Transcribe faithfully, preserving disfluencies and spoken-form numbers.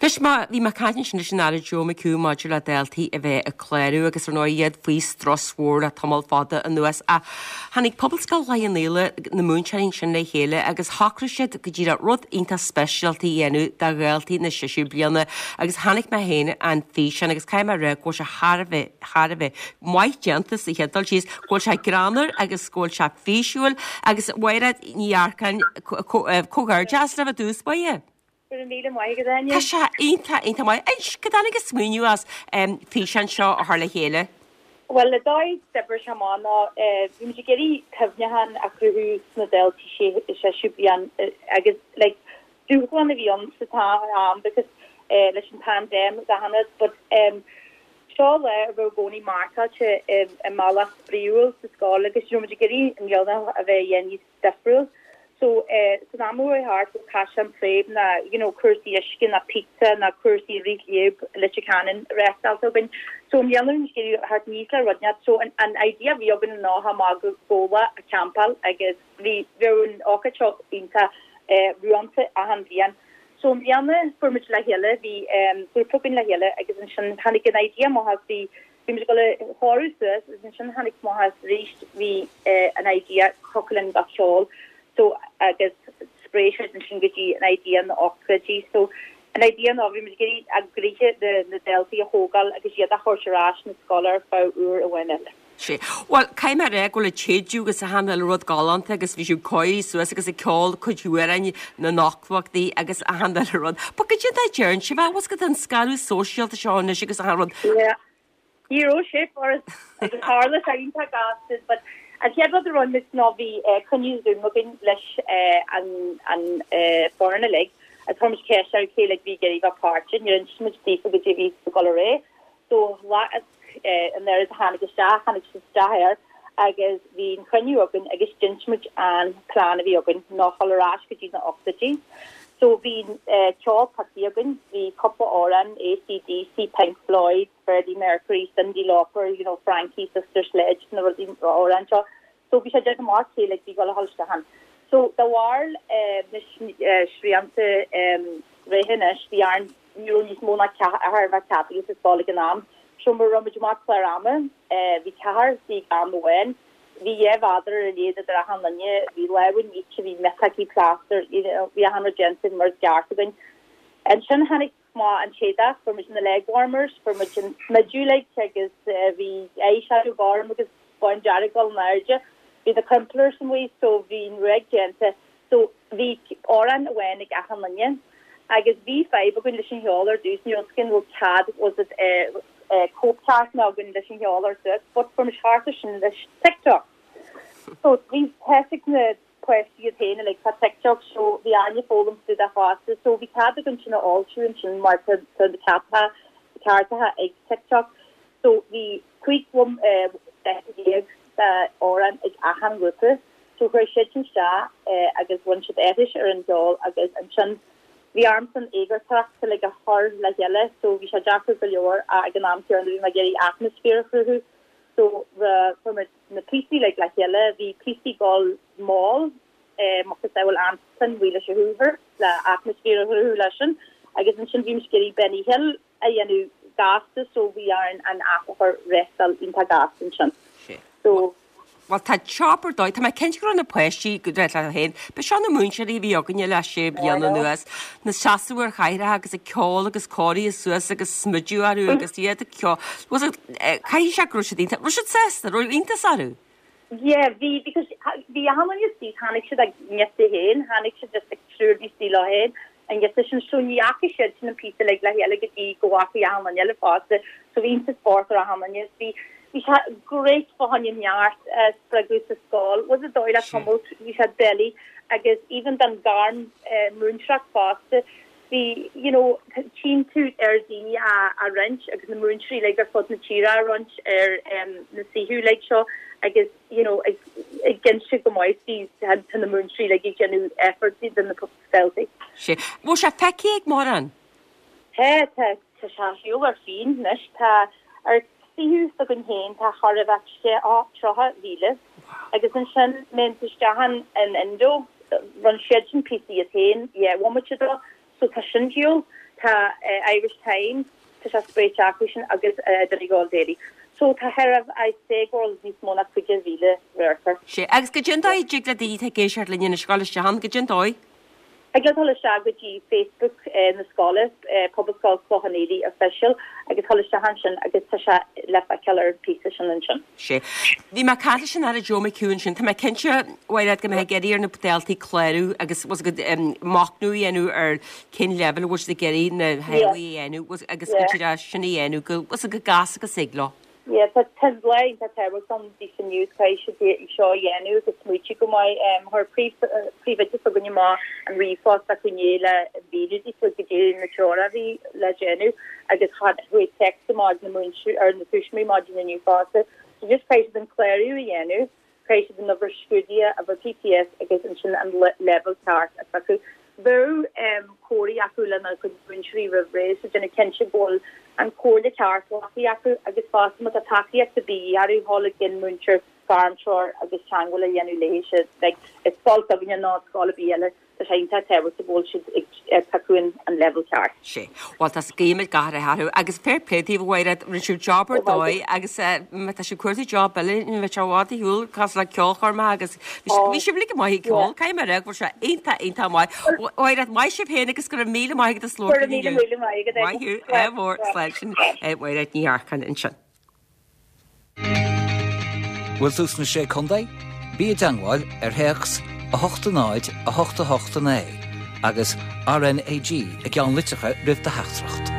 Anois má bhí mé ag caint ansin leis an Aire Joe McHugh maidir le daltaí a bheith ag clárú agus ar ndóigh iad faoi strus mhór le tamall fada anuas ach tháinig Pobalscoil Chloich Cheann Fhaola na múinteoirí sin le chéile agus shocraigh siad go díreach rud iontach speisialta a dhéanamh do dhaltaí na séú bliana agus chonaic mé féin an físeán agus caithfidh mé a rá go bhfuil sé thar a bheith thar a bheith maith déanta sa chéad dul síos go bhfuil sé greannmhar agus go bhfuil sé físiúil agus Mhairéad Ní Earcáin comhghairdeas libh i dtús báire. Go raibh míle maith agat Áine. Tá sé iontach iontach maith. Inis cá dtáinig an smaoineamh as um, físeán seo a chur le chéile. Well le dóigh d'oibrigh sé amach ná bhí muid ag iarraidh cuimhneachán a chruthú sna daltaí séú bliain agus like dúshlán a bhí ann sa am because uh, leis an pandemic achan rud but um, seo le a raibh gcónaí marcáilte i mbealach spraíúil sa scoil agus you know, muid ag iarraidh an mbliana a bheith níos difriúil. So eh, san am thart go Caiseal Préib na you know, cúrsaí uisce na pizza na cúrsaí rith léib Leitir Ceanainn reáchtáilte againn. So an dhéanamh thart níos le rudneat so an, an idea bhí againn ná má go góla a campáil agus bhí bheith an ócáid seo iontach eh, ruanta achan bhliain. So an bliana fuair muid le chéile bhí um, grúpa againn le chéile agus ansin tháinig an idea amach bhí bhí muid go le chóú suas agus ansin tháinig amach arís bhí uh, an idea chocolin gach ceol so agus spréis ansin go dtí an idea na ócáidí so an idea ná bhí muid a gcroíthe de na daltaí a thógáil agus iad a chur ar ais na scoile ar feadh uair amháin eile. Sé. Well caithfidh mé rá go bhfuil téidiú agus a hanil rud galánta agus bhí siad cóirithe suas agus ag ceol cuid amhráin na n-ochtóidí agus a hanil rud. Ba go dtí deireann sé bheith go an scaradh sóisialta seo anois agus a rud. Yeah. Ní raibh sé for agus tharla sé iontach gasta, but an chéad rud a rinne muid ná bhí cruinniú Zoom againn leis an an foireann uilig a tá ceist ar cé le bhí ag iarraidh páirt, ní muid daofa go dtí bhí go ré. So lá an oiread tháinig isteach tháinig isteach air agus bhí an cruinniú againn agus d'inis muid an plean a bhí againn ná dul ar ais go dtí na ochtóidí. So bhí ceol pioctha againn, bhí cúpla amhrán ACDC, Pink Floyd, Freddie Mercury, Cyndi Lauper, you know, Frankie, Sister Sledge na rudaí amhráin seo. So bhí sé de amach cé le bhí go holstehan. So de bharr na srianta rehannis bhí an ní níos mó ná ceathrar bheith ceaptha sa scoil ag an am. So mar raibh muid amach clár ama, bhí ceathrar sí am amháin, bhí dhá mhéadar ar lead idir achan duine, bhí lámha nite, bhí miotacaí plaster, bhí achan rud déanta mar is ceart againn. Ansin tháinig má an séideach fuair muid na leg warmers, fuair muid an smideadh like agus bhí eyeshadow gorm agus bándearg an airde. Bhí na Crumplers amuigh so bhí an ruaig déanta, so bhí amhrán amháin ag achan duine. Agus bhí fadhb againn leis an cheol ar dtús ní skin bhfuil cead was it cóipcheart ná againn leis an cheol ar dtús, but fuair muid thart sin leis TikTok. So bhí thosaigh na páistí iad féin like tá TikTok so bhí aine foghlaim tú a fásta so bhí cead againn sin a fháiltiú ansin mar tá na cearta ceartaithe ag TikTok. So bhí cúig déag amhrán ag achan grúpa, so chuir siad sin isteach agus bhain siad aithris ar an gceol agus ansin bhí ormsa an eagarthóireacht le a chur le chéile, so bhí sé deacair go leor ag an am céanna bhí mé ag iarraidh atmaisféar a chruthú. So fuair muid na píosaí le le chéile, bhí píosaí ag dul mall mar is bhfuil ansan bhí leis a Hoover le atmaisféar a chruthú leis sin, agus ansin bhí muid ag iarraidh Benny Hill a dhéanamh gasta so bhí ar an app a chur rétal iontach gasta ansin. So Well tá job ar dóigh, Tá mé cinnte go raibh na páistí go le féin, Ba seo na múinteoirí a bhí againne le sé bliana anuas, na seasamh ar chathaoireacha agus ag ceol agus cóirithe suas agus smideadh orthu agus iad ag ceol. Caithfidh sé go raibh siad iontach, raibh siad sásta, raibh iontas orthu. Yeah, bhí because bhí achan duine tháinig siad ag neta féin, tháinig siad just ag triúr bhí lá féin, an giota sin so ní fhaca siad sin an píosa le le chéile go dtí go bhfaca achan duine eile fosta, so bhí iontas spórt ar achan duine bhí bhí sé great fá choinne neart spreagadh sa scoil, was it dóigh le cummult bhí sé doiligh agus even den gairm múinteoireacht fosta bhí you know tchíonn tú ar daoine a a roinnt agus na múinteoirí like ar fud na tíre a roinnt ar um, na suíomh like seo agus you know ag ag inse go maith bhí tá na múinteoirí like ag déanamh effort den na daltaí. Sé. Bhfuil sé feicthe ag mórán? Tá tá tá sé siúl ar féin anois tá ar suíomh s'againn féin tá char a bheith sé á tríocha míle agus ansin mé isteach an an Indo rinne siad sin píosa iad féin yeah bhmuid do so tá sin siúl Tá Irish Times, tá sé spréite acu sin agus Donegal Daily. So tá thar I'd say go bhfuil níos mó ná cúig mhíle radharc air. Sea, agus goidé an dóigh a dtig le daoine atá ag éisteacht linn anois dul isteach ann, goidé an dóigh? Thig leo dul isteach go dtí Facebook na scoile, Pobalscoil Chlochán Fhaola Official, agus dul isteach ansin agus tá sé le feiceáil ar an phíosa sin ansin. Sea. Bhí mé ag caint leis an Aire Joe McHugh ansin. Tá mé cinnte, a Mhairéad, go mbeidh ag iarraidh ar na daltaí clárú agus bhfuil a fhios agat machnamh a dhéanamh ar cén leibhéal a bhfuil siad ag iarraidh na theaghlaigh a dhéanamh agus go dtí sin a dhéanamh go bhfuil a fhios agat go gasta agus ag leo. Yeah, tá tá lá iontach tábhachtach ann daofa inniu, caithfidh siad é seo a dhéanamh agus smaoitiú go maith. Chuir príomhoide s'againne amach an ríomhphost acu inné le mhíniú daofa goidé na treoracha a bhí le déanamh agus chuaigh text amach ag na múinteoirí ar na tuismitheoirí maidin inniu fosta. So just caithfidh siad an clárú a dhéanamh, caithfidh siad an uimhir scrúdaithe, uimhir PPS agus ansin an leibhéal ceart a phiocadh. Bheadh comhrá acu lena gcuid múinteoirí roimh ré so déanamh cinnte go bhfuil an chomhairle ceart glactha acu agus fosta má tá tacaíocht ar bith orthu dhul ag an múinteoir gairmthreoir agus teagmháil a dhéanamh léi siad. Like, is scoil s'againne nó scoil ar bith eile tá sé iontach tábhachtach go bhfuil siad ag piocadh an leibhéal ceart. Sea. Bhuel, tá guímid gach rath orthu agus fair play daoibh, a Mhairéad, rinne sibh job ar dóigh agus má tá sibh ag cuartú job eile, ní bheidh sé i bhfad ar shiúl cosúil le ceolchoirmeacha agus bhí sibh uilig maith ag ceol, caithfidh mé a rá go bhfuil sé iontach, iontach maith. A Mhairéad, maith sibh féin agus go raibh míle maith agat as labhairt linn inniu. Go raibh míle míle maith agat. Maith thú, ádh mór, slán sin Mairéad Ní Earcáin ansin. Bhfuil tú sna Sé Chontae? Bí i dteagmháil ar théacs a hocht a náid a hocht a hocht a naoi agus RnaG i gceannlitreacha roimh do theachtaireacht.